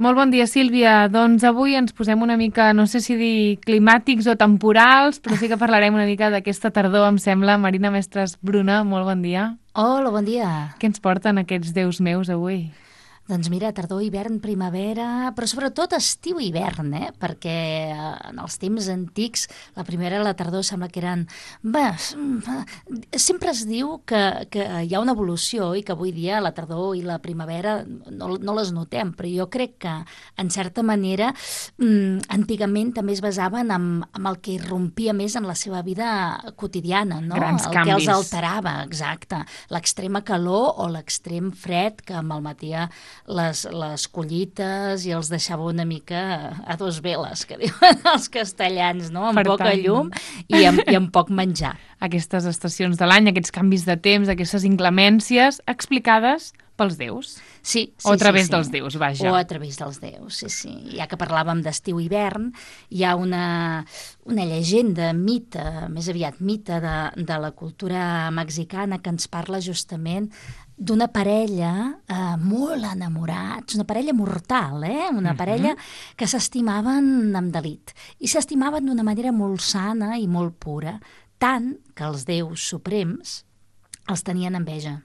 Molt bon dia, Sílvia. Doncs avui ens posem una mica, no sé si dir climàtics o temporals, però sí que parlarem una mica d'aquesta tardor, em sembla. Marina Mestres Bruna, molt bon dia. Hola, bon dia. Què ens porten aquests déus meus avui? Doncs mira, tardor, hivern, primavera, però sobretot estiu-hivern, perquè en els temps antics la primavera i la tardor sembla que eren... Bé, sempre es diu que hi ha una evolució i que avui dia la tardor i la primavera no les notem, però jo crec que, en certa manera, antigament també es basaven en el que irrompia més en la seva vida quotidiana, no? Grans El que els canvis. alterava, exacte. L'extrema calor o l'extrem fred que malmetia les collites i els deixava una mica a dos veles, que diuen els castellans, no? Amb poca llum i amb poc menjar. Aquestes estacions de l'any, aquests canvis de temps, aquestes inclemències explicades pels déus. Sí, o a través dels déus, vaja. O a través dels déus, sí. Ja que parlàvem d'estiu-hivern, hi ha una llegenda, mite, més aviat mite de la cultura mexicana que ens parla justament d'una parella molt enamorats, una parella mortal, una parella que s'estimaven amb delit. I s'estimaven d'una manera molt sana i molt pura, tant que els déus suprems els tenien enveja.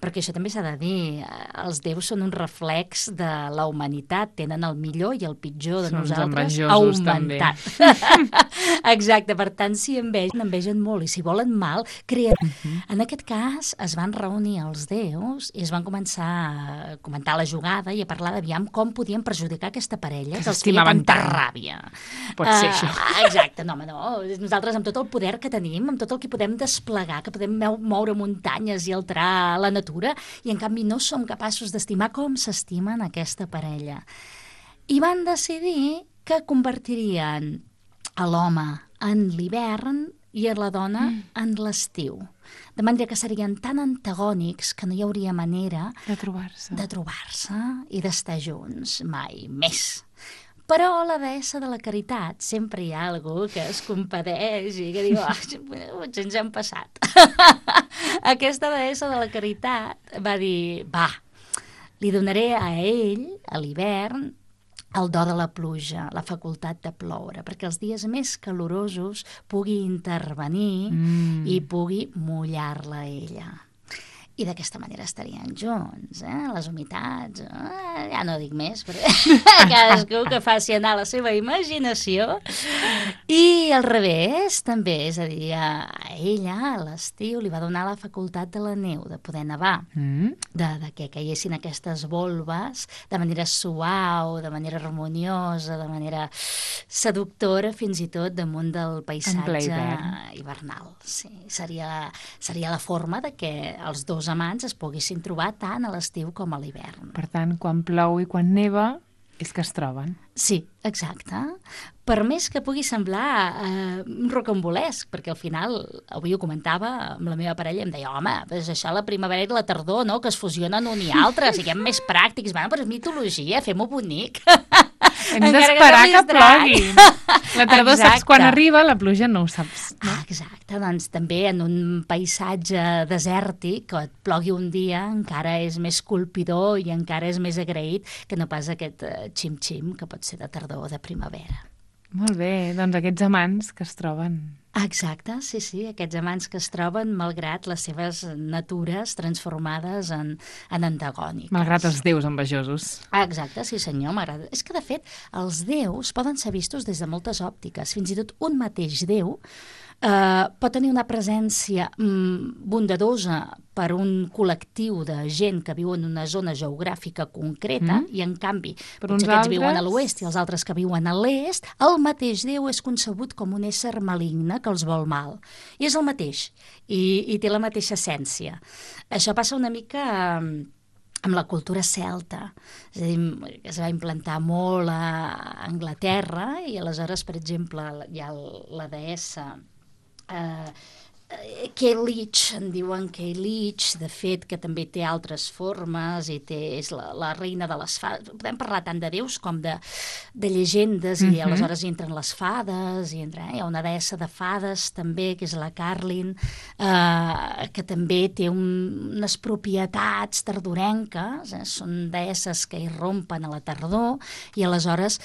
Perquè això també s'ha de dir, els déus són un reflex de la humanitat, tenen el millor i el pitjor de nosaltres augmentat. Exacte, per tant, si envegen molt, i si volen mal, creen. En aquest cas, es van reunir els déus i es van començar a comentar la jugada i a parlar d'aviam com podien perjudicar aquesta parella, que els feia tanta ràbia. Pot ser això. Exacte, no, nosaltres amb tot el poder que tenim, amb tot el que podem desplegar, que podem moure muntanyes i alterar la natura, i en canvi no som capaços d'estimar com s'estimen aquesta parella. I van decidir que convertirien a l'home en l'hivern i a la dona en l'estiu. De manera que serien tan antagònics que no hi hauria manera de trobar-se i d'estar junts mai més. Però la deessa de la caritat, sempre hi ha algú que es compadeix i que diu, potser ens hem passat. Aquesta deessa de la caritat va dir, li donaré a ell, a l'hivern, el do de la pluja, la facultat de ploure, perquè els dies més calorosos pugui intervenir i pugui mullar-la a ella. I d'aquesta manera estarien junts, les humitats, ja no dic més, perquè cadascú que faci anar la seva imaginació. I al revés, també, és a dir, a ella, a l'estiu, li va donar la facultat de la neu, de poder nevar, de que caiguessin aquestes volves de manera suau, de manera harmoniosa, de manera seductora, fins i tot damunt del paisatge hivernal. Sí, seria la forma de que els dos amants es poguessin trobar tant a l'estiu com a l'hivern. Per tant, quan plou i quan neva, és que es troben. Sí, exacte. Per més que pugui semblar rocambolesc, perquè al final, avui ho comentava amb la meva parella, em deia, home, doncs això la primavera i la tardor, no?, que es fusionen un i altre, siguem més pràctics. Bueno, però és mitologia, fem-ho bonic. Hem d'esperar que plogui. La tardor saps quan arriba, la pluja no ho saps. No? Exacte, doncs també en un paisatge desèrtic, que et plogui un dia encara és més colpidor i encara és més agraït que no pas aquest xim-xim que pot ser de tardor o de primavera. Molt bé, doncs aquests amants que es troben. Exacte, sí, aquests amants que es troben malgrat les seves natures transformades en antagòniques. Malgrat els déus envejosos. Exacte, sí senyor, m'agrada. És que de fet els déus poden ser vistos des de moltes òptiques, fins i tot un mateix déu pot tenir una presència bondadosa per un col·lectiu de gent que viu en una zona geogràfica concreta i, en canvi, potser aquests viuen a l'oest i els altres que viuen a l'est, el mateix Déu és concebut com un ésser maligne que els vol mal. I és el mateix, i té la mateixa essència. Això passa una mica amb la cultura celta, és a dir, que es va implantar molt a Anglaterra i aleshores, per exemple, hi ha la deessa Kay Leach, en diuen Kay Leach, de fet, que també té altres formes i és la reina de les fades. Podem parlar tant de déus com de llegendes, i aleshores hi entren les fades, hi ha una deessa de fades també, que és la Carlin, que també té unes propietats tardorenques, són deesses que irrompen a la tardor, i aleshores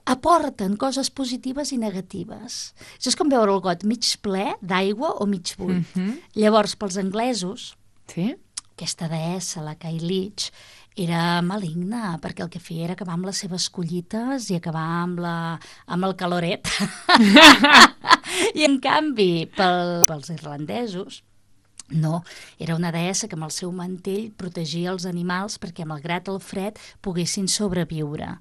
aporten coses positives i negatives. Això és com veure el got mig ple d'aigua o mig buit. Llavors, pels anglesos, aquesta deessa, la Kay Leach, era maligna, perquè el que feia era acabar amb les seves collites i acabar amb el caloret. I, en canvi, pels irlandesos, no, era una deessa que amb el seu mantell protegia els animals perquè, malgrat el fred, poguessin sobreviure.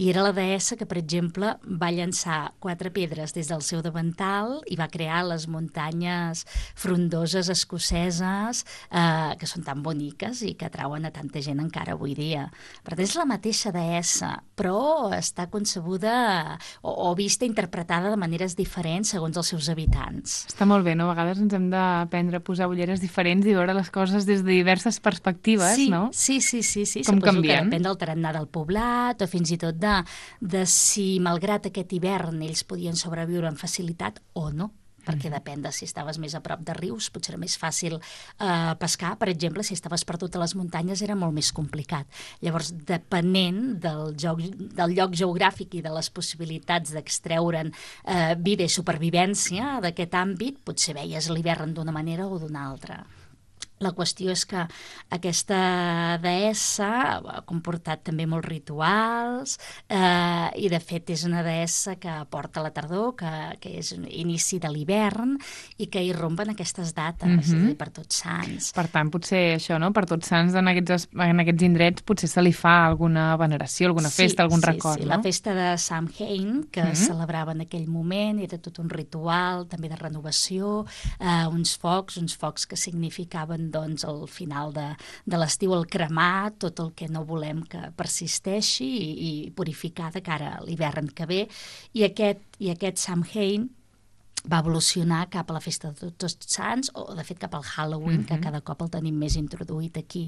I era la deessa que, per exemple, va llançar 4 pedres des del seu davantal i va crear les muntanyes frondoses escoceses, que són tan boniques i que atrauen a tanta gent encara avui dia. Per tant, és la mateixa deessa, però està concebuda o vista, interpretada de maneres diferents segons els seus habitants. Està molt bé, no? A vegades ens hem d'aprendre a posar ulleres diferents i veure les coses des de diverses perspectives, no? Sí. Com Suposo canvien. que depèn del tarannà del poblat o fins i tot de si, malgrat aquest hivern, ells podien sobreviure amb facilitat o no, perquè depèn de si estaves més a prop de rius, potser era més fàcil pescar. Per exemple, si estaves per totes les muntanyes era molt més complicat. Llavors, depenent del lloc geogràfic i de les possibilitats d'extreure'n vida i supervivència d'aquest àmbit, potser veies l'hivern d'una manera o d'una altra. La qüestió és que aquesta deessa ha comportat també molts rituals i, de fet, és una deessa que porta la tardor, que és inici de l'hivern i que irrompen aquestes dates, per Tots Sants. Per tant, potser això, no? Per Tots Sants, en aquests indrets, potser se li fa alguna veneració, alguna festa, algun record, no? La festa de Samhain, que es celebrava en aquell moment, era tot un ritual, també de renovació, uns focs que significaven, doncs, al final de l'estiu, el cremar tot el que no volem que persisteixi i purificar de cara a l'hivern que ve. I aquest Samhain va evolucionar cap a la festa de Tots Sants, o de fet cap al Halloween, que cada cop el tenim més introduït aquí.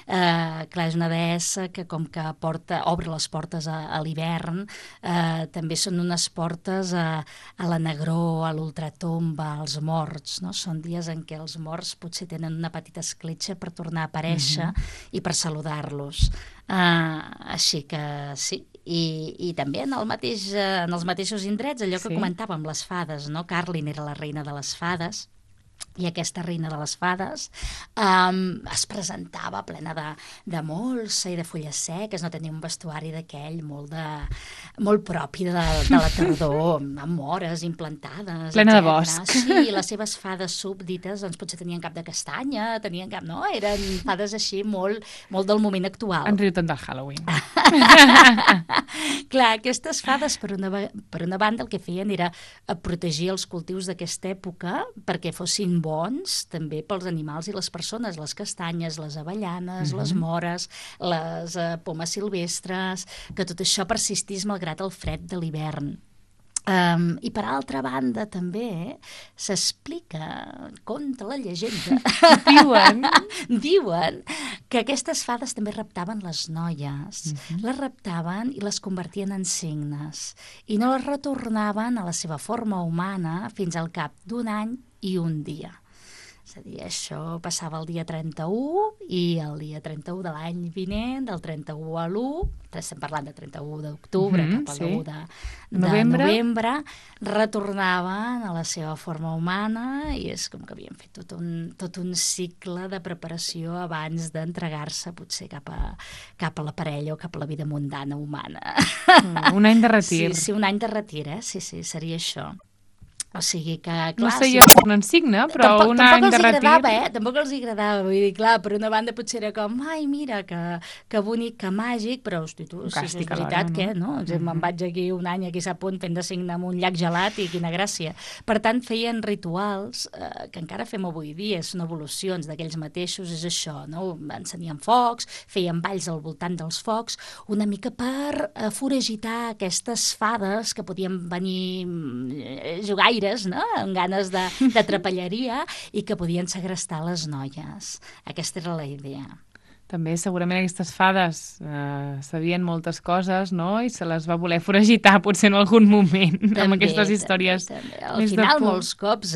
Clar, és una deessa que, com que obre les portes a l'hivern, també són unes portes a la negror, a l'ultratomba, als morts, no? Són dies en què els morts potser tenen una petita escletxa per tornar a aparèixer i per saludar-los. Així que sí. I també en els mateixos indrets, allò que comentàvem, les fades, no? Carlin era la reina de les fades, i aquesta reina de les fades es presentava plena de molsa i de fulles seques, no tenia un vestuari d'aquell molt propi de la tardor, amb mores implantades, plena de bosc. Sí, les seves fades súbdites doncs potser tenien cap de castanya, no? Eren fades així molt del moment actual. En riu tant del Halloween. Clar, aquestes fades, per una banda, el que feien era protegir els cultius d'aquesta època perquè fossin bons també pels animals i les persones, les castanyes, les avellanes, les mores, les pomes silvestres, que tot això persistís malgrat el fred de l'hivern. I per altra banda també s'explica, conta la llegenda, diuen que aquestes fades també raptaven les noies, les raptaven i les convertien en cignes i no les retornaven a la seva forma humana fins al cap d'un any i un dia. És a dir, això passava el dia 31 i el dia 31 de l'any vinent, del 31 a l'1, estem parlant de 31 d'octubre cap al 1 de novembre, retornaven a la seva forma humana i és com que havien fet tot un cicle de preparació abans d'entregar-se potser cap a la parella o cap a la vida mundana humana. Un any de retir. Sí, un any de retir, sí, seria això. O sigui que, clar... No sé jo com un signe, però un any de retir... Tampoc els agradava, vull dir, clar, per una banda potser era com, ai, mira, que bonic, que màgic, però, hosti, tu, si és veritat, què, no? Me'n vaig aquí un any, aquí sap on, fent de signe amb un llac gelat i quina gràcia. Per tant, feien rituals que encara fem avui dia, són evolucions d'aquells mateixos, és això, no? Encenien focs, feien balls al voltant dels focs, una mica per foragitar aquestes fades que podien venir jugaires boires, no? Amb ganes de trapelleria, i que podien segrestar les noies. Aquesta era la idea. També segurament aquestes fades sabien moltes coses, no? I se les va voler foragitar potser en algun moment amb aquestes històries també. més Al de final, por. molts cops,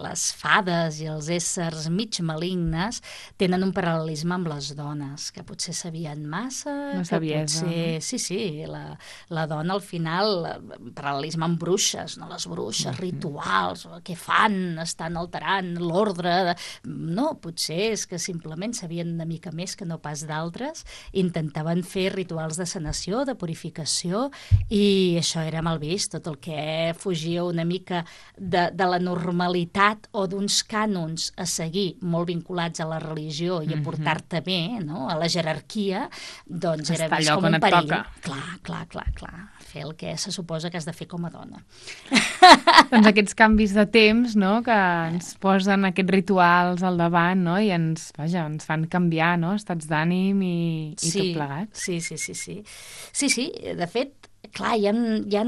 les fades i els éssers mig malignes tenen un paral·lelisme amb les dones, que potser sabien massa, Una que saviesa, potser... Sí, la dona al final, paral·lelisme amb bruixes, no? Les bruixes, rituals, què fan, estan alterant l'ordre... No, potser és que simplement sabien una mica més que no pas d'altres, intentaven fer rituals de sanació, de purificació, i això era mal vist. Tot el que fugia una mica de la normalitat o d'uns cànons a seguir molt vinculats a la religió i a portar-te bé, no? A la jerarquia, doncs era vist com un perill. Clar. Fer el que se suposa que has de fer com a dona. Doncs aquests canvis de temps, no?, que ens posen aquests rituals al davant, no?, i ens fan canviar, no?, estats d'ànim i tot plegat. Sí, de fet, clar, hi ha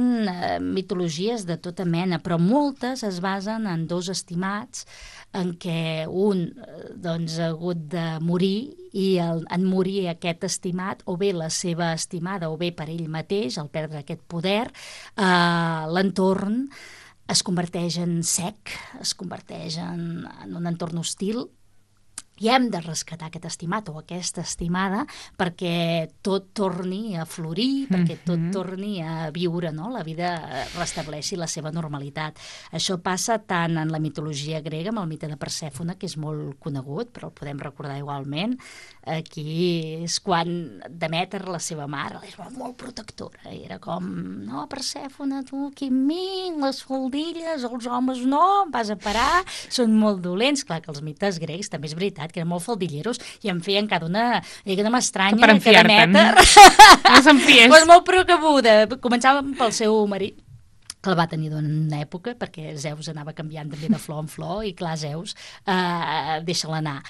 mitologies de tota mena, però moltes es basen en dos estimats en què un doncs, ha hagut de morir, i en morir aquest estimat, o bé la seva estimada o bé per ell mateix, al perdre aquest poder, l'entorn es converteix en sec, es converteix en un entorn hostil, i hem de rescatar aquest estimat o aquesta estimada perquè tot torni a florir, perquè tot torni a viure, no? La vida restableixi la seva normalitat. Això passa tant en la mitologia grega, amb el mite de Persèfone, que és molt conegut, però el podem recordar igualment. Aquí és quan Demèter, la seva mare, és molt protectora. Era com, no, Persèfone, tu aquí amb mi, les faldilles, els homes no, em vas a parar, són molt dolents. Clar que els mites grecs també és veritat que eren molt faldilleros i en feien cada una... I que no m'estranya que Demèter... No s'enfiés. Pues molt precabuda. Començava pel seu marit, que el va tenir durant una època, perquè Zeus anava canviant també de flor en flor, i clar, Zeus, deixa-la anar.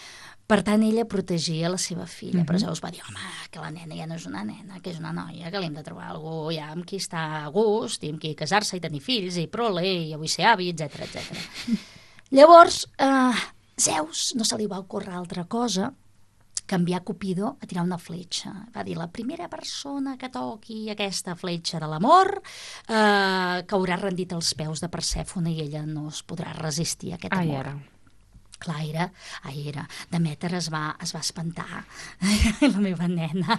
Per tant, ella protegia la seva filla, però Zeus va dir, home, que la nena ja no és una nena, que és una noia, que li hem de trobar algú ja amb qui està a gust, i amb qui casar-se i tenir fills, i prole, i avui ser avi, etc. Llavors, Zeus no se li va ocórrer altra cosa que enviar Cupido a tirar una fletxa. Va dir, la primera persona que toqui aquesta fletxa de l'amor caurà rendit als peus de Persèfone i ella no es podrà resistir a aquest amor. Clar, era. Demèter es va espantar, la meva nena.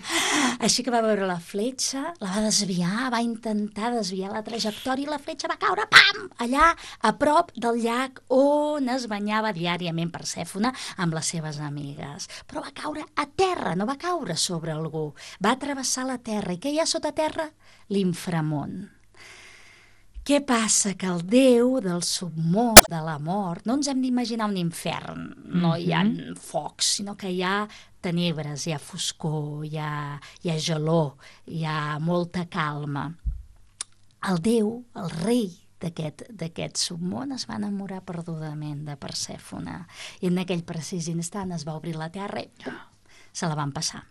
Així que va veure la fletxa, la va desviar, va intentar desviar la trajectòria i la fletxa va caure, pam, allà a prop del llac on es banyava diàriament Persèfone amb les seves amigues. Però va caure a terra, no va caure sobre algú. Va travessar la terra. I què hi ha sota terra? L'inframón. Què passa? Que el déu del submón, de la mort, no ens hem d'imaginar un infern, no hi ha focs, sinó que hi ha tenebres, hi ha foscor, hi ha gelor, hi ha molta calma. El déu, el rei d'aquest submón, es va enamorar perdudament de Persèfone, i en aquell precís instant es va obrir la terra i se la van passar.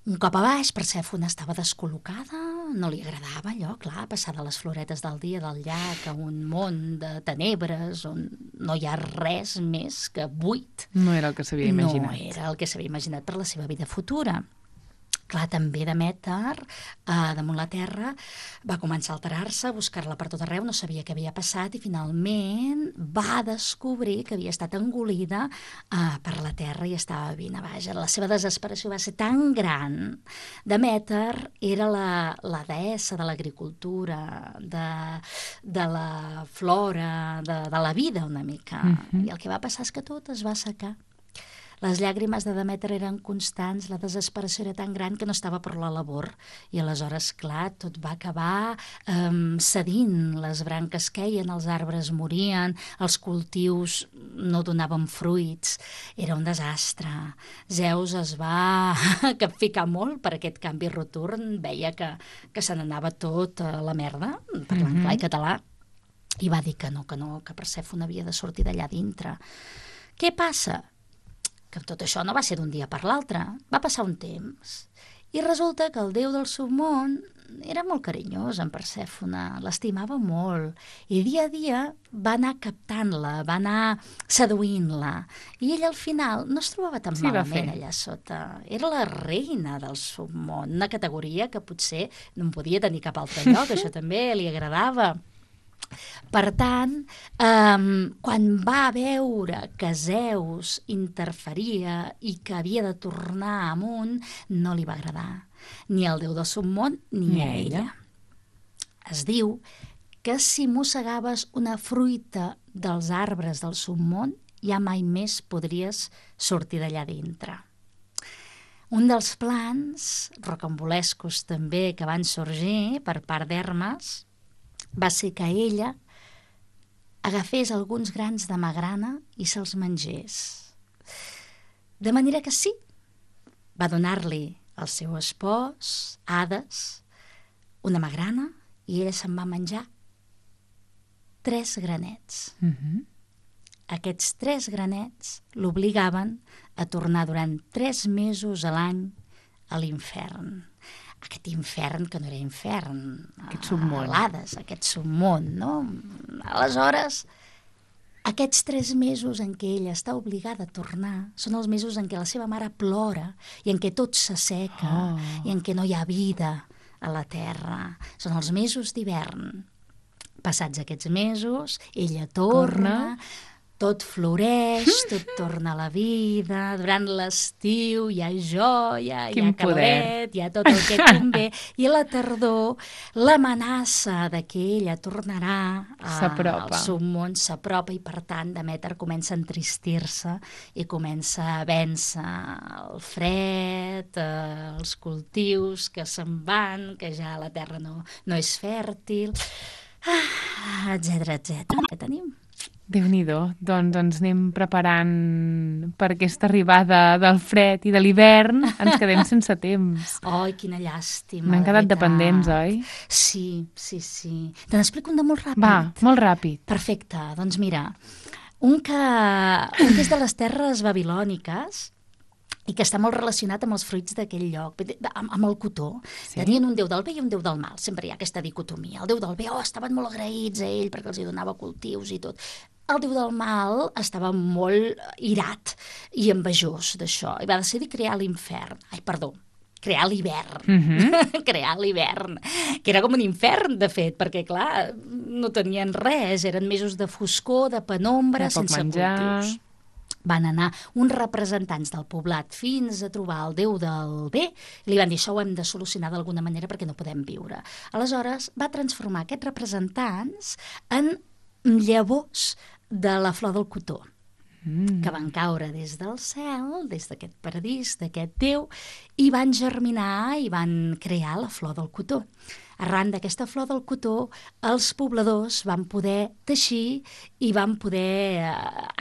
Un cop a baix, Persèfone estava descol·locada, no li agradava allò, clar, passar de les floretes del dia del llac a un món de tenebres on no hi ha res més que buit. No era el que s'havia imaginat. No era el que s'havia imaginat per la seva vida futura. Clar, també Demèter, damunt la terra, va començar a alterar-se, a buscar-la per tot arreu, no sabia què havia passat i finalment va descobrir que havia estat engolida per la terra i estava vivint a baix. La seva desesperació va ser tan gran. Demèter era la deessa de l'agricultura, de la flora, de la vida una mica. I el que va passar és que tot es va assecar. Les llàgrimes de Demèter eren constants, la desesperació era tan gran que no estava per la labor. I aleshores, clar, tot va acabar cedint, les branques queien, els arbres morien, els cultius no donaven fruits, era un desastre. Zeus es va capficar molt per aquest canvi rotund, veia que se n'anava tot a la merda, parlant clar i català, i va dir que no, que Persèfone havia de sortir d'allà dintre. Què passa? Que tot això no va ser d'un dia per l'altre, va passar un temps I resulta que el déu del submón era molt carinyós amb Persèfone, l'estimava molt, i dia a dia va anar captant-la, va anar seduint-la, i ella al final no es trobava tan malament allà sota. Era la reina del submón, una categoria que potser no en podia tenir cap altre lloc, això també li agradava. Per tant, quan va veure que Zeus interferia i que havia de tornar amunt, no li va agradar ni al déu del submón ni a ella. Es diu que si mossegaves una fruita dels arbres del submón, ja mai més podries sortir d'allà dintre. Un dels plans rocambolescos també que van sorgir per part d'Hermes va ser que ella agafés alguns grans de magrana i se'ls mengés. De manera que sí, va donar-li al seu espòs, Hades, una magrana, i ella se'n va menjar 3 granets. Aquests 3 granets l'obligaven a tornar durant 3 mesos a l'any a l'infern. Aquest infern que no era infern, aquest submón. Hades, aquest submón, no? Aleshores, aquests 3 mesos en què ella està obligada a tornar són els mesos en què la seva mare plora i en què tot s'asseca i en què no hi ha vida a la terra. Són els mesos d'hivern. Passats aquests mesos, ella torna, tot floreix, tot torna a la vida, durant l'estiu hi ha joia, hi ha calent, hi ha tot el que convé, i a la tardor l'amenaça de que ella tornarà al submón s'apropa i per tant Demèter comença a entristir-se i comença a vèncer el fred, els cultius que se'n van, que ja la terra no és fèrtil, etcètera, etcètera. Què tenim? Déu-n'hi-do, doncs ens anem preparant per aquesta arribada del fred i de l'hivern, ens quedem sense temps. Ai, quina llàstima. N'han quedat dependents, oi? Sí. Te n'explico un de molt ràpid. Va, molt ràpid. Perfecte, doncs mira, un que és de les terres babilòniques i que està molt relacionat amb els fruits d'aquell lloc, amb el cotó. Sí. Tenien un déu del bé i un déu del mal, sempre hi ha aquesta dicotomia. El déu del bé, estaven molt agraïts a ell perquè els hi donava cultius i tot. El déu del mal estava molt irat i envejós d'això i va decidir crear l'hivern. Crear l'hivern. Crear l'hivern, que era com un infern, de fet, perquè, clar, no tenien res, eren mesos de foscor, de penombra, sense cultius. Van anar uns representants del poblat fins a trobar el déu del bé i li van dir, això ho hem de solucionar d'alguna manera perquè no podem viure. Aleshores va transformar aquests representants en llavors de la flor del cotó, que van caure des del cel, des d'aquest paradís, d'aquest déu, i van germinar i van crear la flor del cotó. Arran d'aquesta flor del cotó, els pobladors van poder teixir i van poder,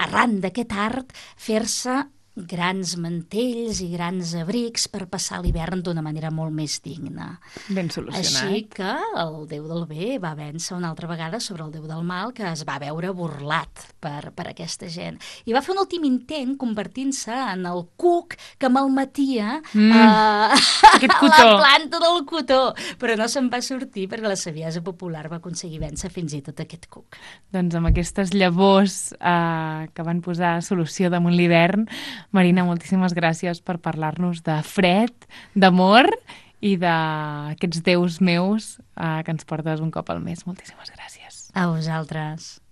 arran d'aquest art, fer-se grans mantells i grans abrics per passar l'hivern d'una manera molt més digna. Ben solucionat. Així que el déu del bé va vèncer una altra vegada sobre el déu del mal, que es va veure burlat per aquesta gent. I va fer un últim intent convertint-se en el cuc que malmetia la planta del cotó, però no se'n va sortir perquè la saviesa popular va aconseguir vèncer fins i tot aquest cuc. Doncs amb aquestes llavors que van posar solució damunt l'hivern, Marina, moltíssimes gràcies per parlar-nos de fred, d'amor i d'aquests déus meus que ens portes un cop al mes. Moltíssimes gràcies. A vosaltres.